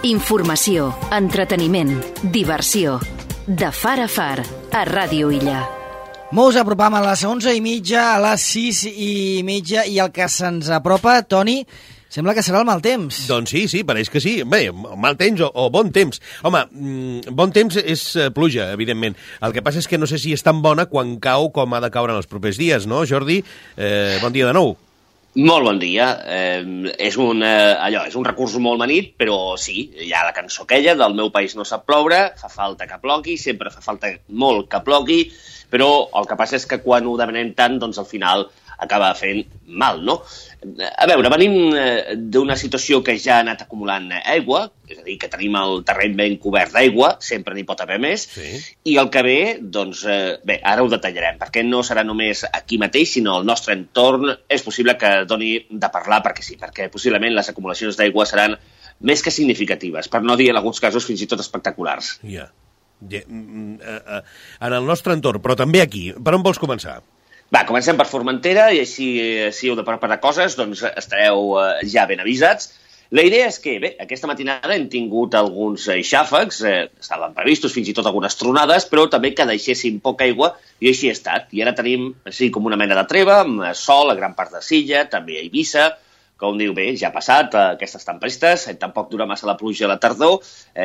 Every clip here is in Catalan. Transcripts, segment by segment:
Informació, entreteniment, diversió. De far a far, a Ràdio Illa. Mos apropam a les 11:30, a les 6:30, i el que se'ns apropa, Toni, sembla que serà el mal temps. Doncs sí, pareix que sí. Bé, mal temps o bon temps. Home, bon temps és pluja, evidentment. El que passa és que no sé si és tan bona quan cau com ha de caure en els propers dies, no, Jordi? Bon dia de nou. Molt bon dia. És un recurs molt manit, però sí, hi ha la cançó aquella del meu país no sap ploure, fa falta que plogui, sempre fa falta molt que plogui, però el que passa és que quan ho demanem tant, doncs al final acaba fent mal, no? A veure, venim d'una situació que ja ha anat acumulant aigua, és a dir, que tenim el terreny ben cobert d'aigua, sempre n'hi pot haver més, i el que ve, doncs, bé, ara ho detallarem, perquè no serà només aquí mateix, sinó al nostre entorn. És possible que doni de parlar perquè sí, perquè possiblement les acumulacions d'aigua seran més que significatives, per no dir en alguns casos fins i tot espectaculars. Ja. En el nostre entorn, però també aquí. Per on vols començar? Va, comencem per Formentera, i així, si heu de preparar coses, doncs estareu ja ben avisats. La idea és que, bé, aquesta matinada hem tingut alguns xàfecs, estaven previstos fins i tot algunes tronades, però també que deixessin poca aigua, i així ha estat. I ara tenim, així com una mena de treva, amb sol a gran part de Silla, també a Eivissa. Com diu, bé, ja ha passat aquestes tempestes, tampoc dura massa la pluja a la tardor,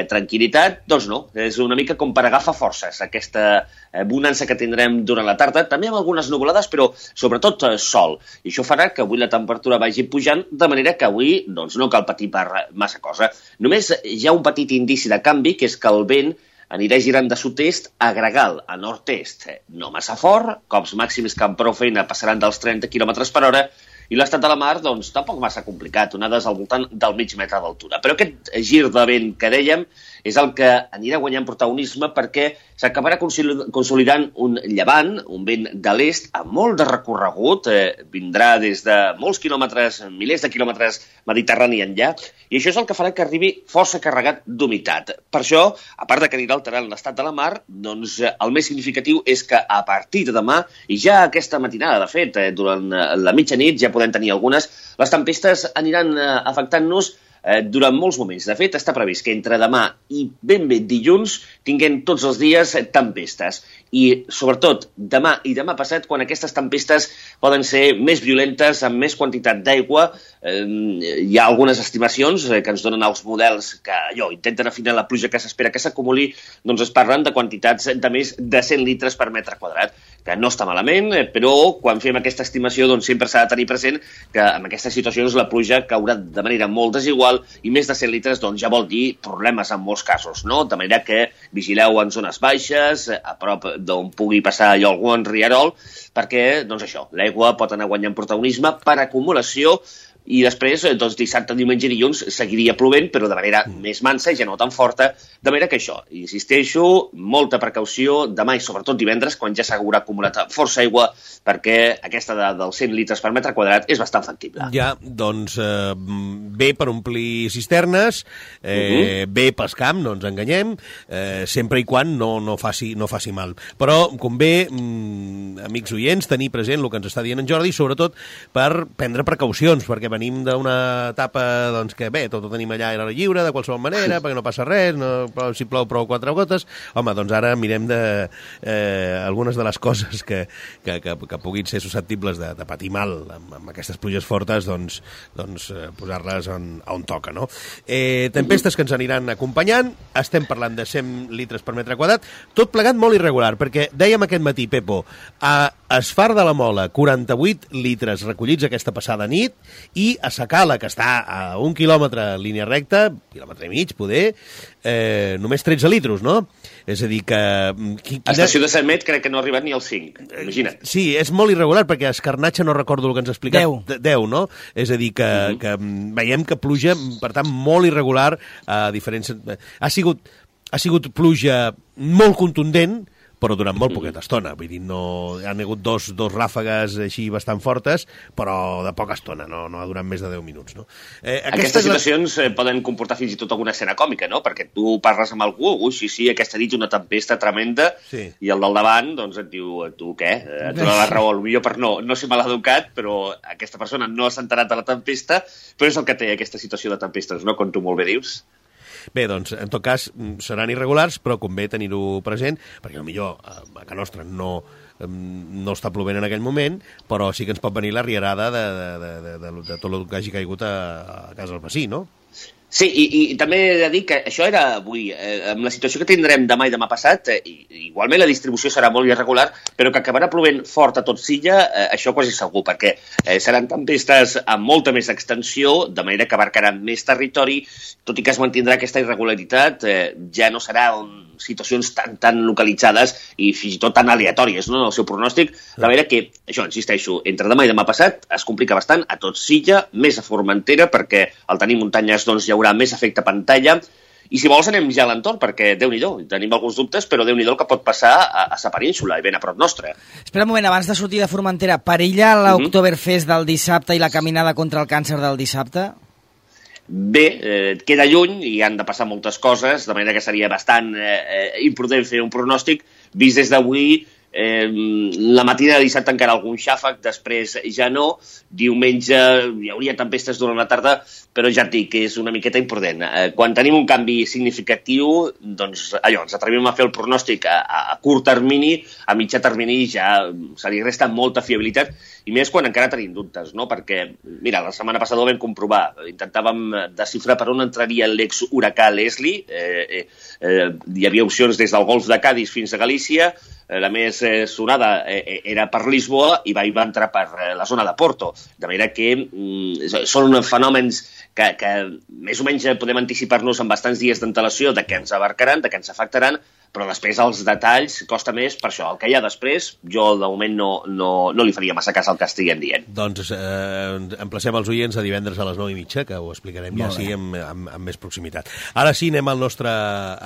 tranquil·litat, doncs no, és una mica com per agafar forces, aquesta bonança que tindrem durant la tarda, també amb algunes nuvolades, però sobretot sol, i això farà que avui la temperatura vagi pujant, de manera que avui doncs, no cal patir per massa cosa. Només hi ha un petit indici de canvi, que és que el vent anirà girant de sud-est a gregal, a nord-est, no massa fort, cops màxims que amb prou feina passaran dels 30 km per hora, i l'estat de la mar, doncs, tampoc massa complicat, onades al voltant del mig metre d'altura. Però aquest gir de vent que dèiem és el que anirà guanyant protagonisme perquè s'acabarà consolidant un llevant, un vent de l'est, amb molt de recorregut, vindrà des de molts quilòmetres, milers de quilòmetres mediterrani enllà, i això és el que farà que arribi força carregat d'humitat. Per això, a part de que anirà alterant l'estat de la mar, doncs el més significatiu és que a partir de demà, i ja aquesta matinada, de fet, durant la mitjanit ja podem tenir algunes, les tempestes aniran afectant-nos durant molts moments. De fet, està previst que entre demà i ben bé dilluns tinguem tots els dies tempestes. I, sobretot, demà i demà passat, quan aquestes tempestes poden ser més violentes, amb més quantitat d'aigua. Hi ha algunes estimacions que ens donen els models que intenten afinar la pluja que s'espera que s'acumuli, doncs es parlen de quantitats de més de 100 litres per metre quadrat, que no està malament, però quan fem aquesta estimació doncs sempre s'ha de tenir present que en aquestes situacions la pluja caurà de manera molt desigual i més de 100 litres doncs ja vol dir problemes en molts casos, no? De manera que vigileu en zones baixes, a prop d'on pugui passar algun rierol, perquè, doncs això, l'aigua pot anar guanyant protagonisme per acumulació. I després, doncs, dissabte, diumenge i dilluns seguiria plovent, però de manera més mansa i ja no tan forta, de manera que això, insisteixo, molta precaució demà i sobretot divendres, quan ja s'haurà acumulat força aigua, perquè aquesta dels 100 litres per metre quadrat és bastant factible. Ja, doncs, bé per omplir cisternes, bé pels camps, no ens enganyem, sempre i quan no faci mal. Però, convé, amics oients, tenir present el que ens està dient en Jordi, sobretot per prendre precaucions, perquè venim d'una etapa doncs, que bé, tot ho tenim allà a l'aire lliure, de qualsevol manera, perquè no passa res, si plou prou 4 gotes. Home, doncs ara mirem algunes de les coses que puguin ser susceptibles de patir mal amb aquestes pluges fortes, doncs posar-les on toca, no? Tempestes que ens aniran acompanyant, estem parlant de 100 litres per metre quadrat, tot plegat molt irregular, perquè dèiem aquest matí, Pepo, a Esfar de la Mola, 48 litres recollits aquesta passada nit, i a Sacala, que està a 1 quilòmetre en línia recta, quilòmetre i mig, poder, només 13 litros, no? És a dir que... A Estació de Sant Met crec que no ha arribat ni als 5, imagina't. Sí, és molt irregular, perquè a Escarnatge no recordo el que ens ha explicat. 10, no? És a dir, que veiem que pluja, per tant, molt irregular a diferents... Ha sigut pluja molt contundent, però durant molt poqueta estona. Vull dir, no, han hagut dos ràfegues així bastant fortes, però de poca estona, no ha durat més de 10 minuts. No? Aquestes situacions poden comportar fins i tot alguna escena còmica, no? Perquè tu parles amb algú, sí, aquesta nit una tempesta tremenda, i el del davant doncs et diu, tu què? Et dona la raó, potser per no ser maleducat, però aquesta persona no s'ha enterat de la tempesta, però és el que té aquesta situació de tempestes, no? Com tu molt bé dius. Bé, doncs, en tot cas, seran irregulars, però convé tenir-ho present, perquè potser a casa nostra no està plovent en aquell moment, però sí que ens pot venir la rierada de tot el que hagi caigut a casa del vecí, no? Sí, i també he de dir que això era avui. Amb la situació que tindrem demà i demà passat, igualment la distribució serà molt irregular, però que acabarà plovent fort a tot Silla, això quasi segur, perquè seran tempestes amb molta més extensió, de manera que abarcaran més territori, tot i que es mantindrà aquesta irregularitat, ja no serà situacions tan localitzades i fins i tot tan aleatòries, no?, en el seu pronòstic, de manera que, això, insisteixo, entre demà i demà passat es complica bastant a tot Silla, més a Formentera, perquè al tenir muntanyes doncs hi haurà més efecte pantalla, i si vols anem ja a l'entorn, perquè Déu-n'hi-do, tenim alguns dubtes, però Déu-n'hi-do el que pot passar a sa península, i ben a prop nostre. Espera un moment, abans de sortir de Formentera, perilla l'Oktoberfest del dissabte i la caminada contra el càncer del dissabte? Bé, queda lluny i han de passar moltes coses, de manera que seria bastant imprudent fer un pronòstic, vist des d'avui. La matina de dissabte encara algun xàfec, després ja no, diumenge hi hauria tempestes durant la tarda, però ja et dic que és una miqueta imprudent. Quan tenim un canvi significatiu, doncs allò, ens atrevim a fer el pronòstic a curt termini, a mitjà termini ja se li resta molta fiabilitat, i més quan encara tenim dubtes, no? Perquè, mira, la setmana passada ho vam comprovar, intentàvem desxifrar per on entraria l'ex-huracà Leslie, hi havia opcions des del golf de Cádiz fins a Galícia, la més sonada era per Lisboa i va entrar per la zona de Porto, de manera que són fenòmens que més o menys podem anticipar-nos amb bastants dies d'antelació de què ens abarcaran, de què ens afectaran, però després els detalls costa més per això. El que hi ha després, jo de moment no li faria massa cas al que estiguem dient. Doncs emplacem els oients a divendres a les 9:30, que ho explicarem ja sí amb més proximitat. Ara sí, anem al nostre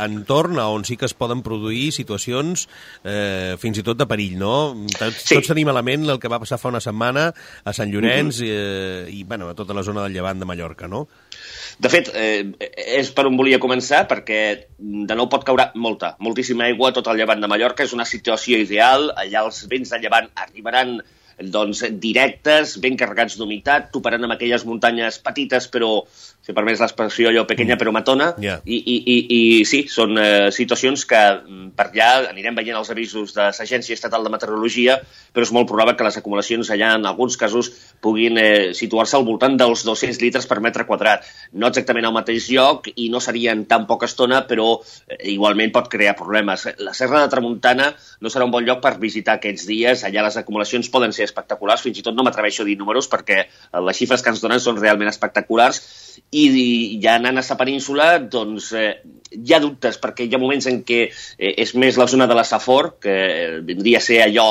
entorn, on sí que es poden produir situacions fins i tot de perill, no? Tots tenim a la ment el que va passar fa una setmana a Sant Llorenç i bueno, a tota la zona del Llevant de Mallorca, no? De fet, és per on volia començar, perquè de nou pot caure moltíssima aigua a tot el Llevant de Mallorca. És una situació ideal, allà els vents de llevant arribaran directes, ben carregats d'humitat, toparan amb aquelles muntanyes petites, però, si permets l'expressió, allò pequeña però matona, i sí, són situacions que per allà anirem veient els avisos de l'Agència Estatal de Meteorologia, però és molt probable que les acumulacions allà, en alguns casos, puguin situar-se al voltant dels 200 litres per metre quadrat. No exactament al mateix lloc i no serien tan poca estona, però igualment pot crear problemes. La Serra de Tramuntana no serà un bon lloc per visitar aquests dies, allà les acumulacions poden ser espectaculars, fins i tot no m'atreveixo a dir números perquè les xifres que ens donen són realment espectaculars, i ja anant a la península doncs hi ha dubtes, perquè hi ha moments en què és més la zona de la Safor, que vindria a ser allò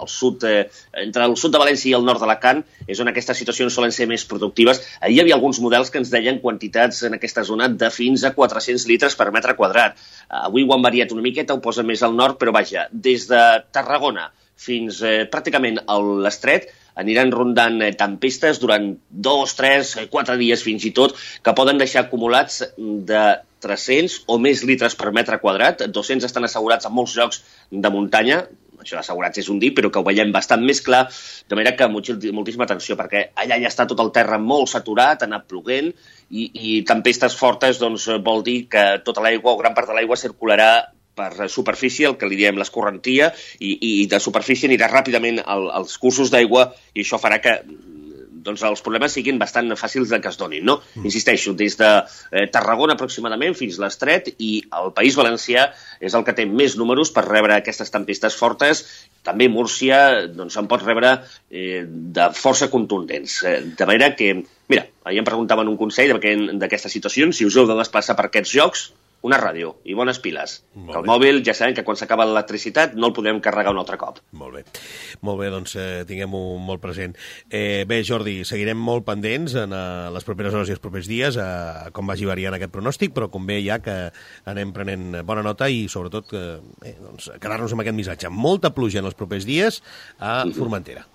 al sud, entre el sud de València i el nord d'Alacant, és on aquestes situacions solen ser més productives. Ahir hi havia alguns models que ens deien quantitats en aquesta zona de fins a 400 litres per metre quadrat. Avui ho han variat una miqueta, ho posa més al nord, però vaja, des de Tarragona fins pràcticament a l'Estret aniran rondant tempestes durant 2, 3, 4 dies fins i tot, que poden deixar acumulats de 300 o més litres per metre quadrat. 200 estan assegurats en molts llocs de muntanya, això assegurats és un dir, però que ho veiem bastant més clar, de manera que moltíssima atenció, perquè allà ja està tot el terra molt saturat, ha anat ploguent, i tempestes fortes doncs, vol dir que tota l'aigua o gran part de l'aigua circularà per superfície, el que li diem l'escorrentia, i de superfície anirà ràpidament als cursos d'aigua, i això farà que doncs, els problemes siguin bastant fàcils de que es donin, no? Insisteixo, des de Tarragona aproximadament fins a l'Estret, i el País Valencià és el que té més números per rebre aquestes tempestes fortes. També Múrcia doncs, en pot rebre de força contundents. De manera que, mira, ahir em preguntaven un consell d'aquestes situacions, si us heu de desplaçar per aquests llocs, una ràdio i bones piles. Que el mòbil ja sabem que quan s'acaba l'electricitat no el podem carregar un altre cop. Molt bé, doncs tinguem-ho molt present. Bé, Jordi, seguirem molt pendents en les properes hores i els propers dies a com vagi variant aquest pronòstic, però convé ja que anem prenent bona nota i sobretot doncs, quedar-nos amb aquest missatge. Molta pluja en els propers dies a Formentera.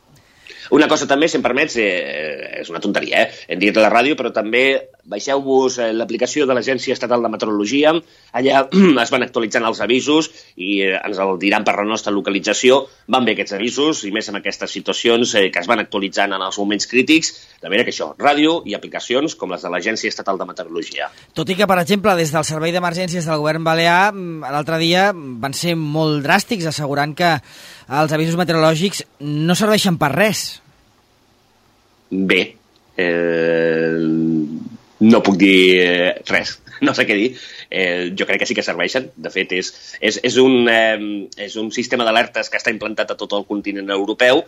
Una cosa també, si em permets, és una tonteria, hem dit a la ràdio, però també baixeu-vos l'aplicació de l'Agència Estatal de Meteorologia, allà es van actualitzant els avisos i ens el diran per la nostra localització. Van bé aquests avisos, i més en aquestes situacions que es van actualitzant en els moments crítics, de manera que això, ràdio i aplicacions com les de l'Agència Estatal de Meteorologia. Tot i que, per exemple, des del Servei d'Emergències del Govern Balear, l'altre dia van ser molt dràstics, assegurant que els avisos meteorològics no serveixen per res. Bé, no puc dir res, no sé què dir. Jo crec que sí que serveixen. De fet, és un sistema d'alertes que està implantat a tot el continent europeu.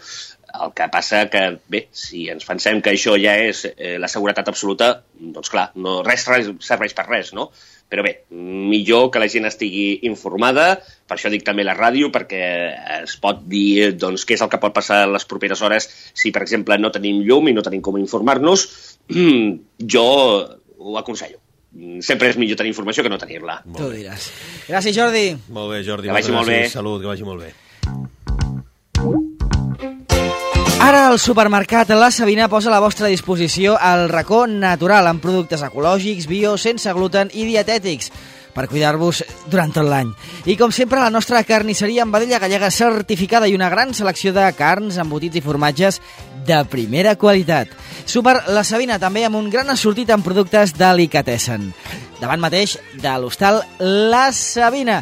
El que passa que, bé, si ens pensem que això ja és la seguretat absoluta, doncs clar, res serveix per res, no? Però bé, millor que la gent estigui informada, per això dic també la ràdio, perquè es pot dir doncs, què és el que pot passar en les properes hores si, per exemple, no tenim llum i no tenim com informar-nos. Jo ho aconsello. Sempre és millor tenir informació que no tenir-la. Tu ho diràs. Gràcies, Jordi. Molt bé, Jordi. Que vagi molt bé. Salut, que vagi molt bé. Ara el supermercat La Sabina posa a la vostra disposició el racó natural amb productes ecològics, bio, sense gluten i dietètics per cuidar-vos durant tot l'any. I com sempre, la nostra carnisseria amb vedella gallega certificada i una gran selecció de carns, embotits i formatges de primera qualitat. Súper La Sabina també amb un gran assortit en productes delicatessen. Davant mateix de l'hostal La Sabina.